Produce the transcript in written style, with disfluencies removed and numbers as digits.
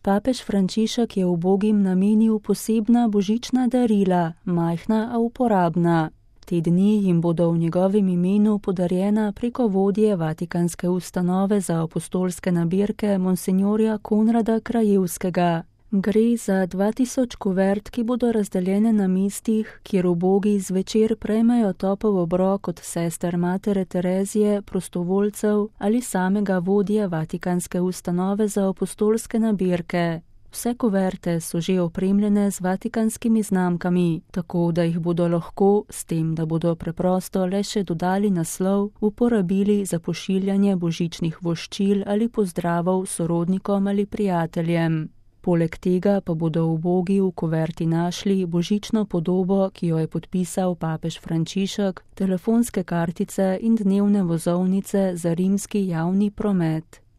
Papež Frančišek je ubogim namenil posebna božična darila, majhna, a uporabna. Te dni jim bodo v njegovem imenu podarjena preko vodje Vatikanske ustanove za apostolske nabirke monsinjorja Konrada Krajevskega. Gre za 2000 kuvert, ki bodo razdeljene na mestih, kjer ubogi zvečer prejmejo topel obrok od sester Matere Terezije, prostovoljcev ali samega vodje Vatikanske ustanove za apostolske nabirke. Vse kuverte so že opremljene z vatikanskimi znamkami, tako da jih bodo lahko, s tem, da bodo preprosto le še dodali naslov, uporabili za pošiljanje božičnih voščil ali pozdravov sorodnikom ali prijateljem. Poleg tega pa bodo ubogi v kuverti našli božično podobo, ki jo je podpisal papež Frančišek, telefonske kartice in dnevne vozovnice za rimski javni promet.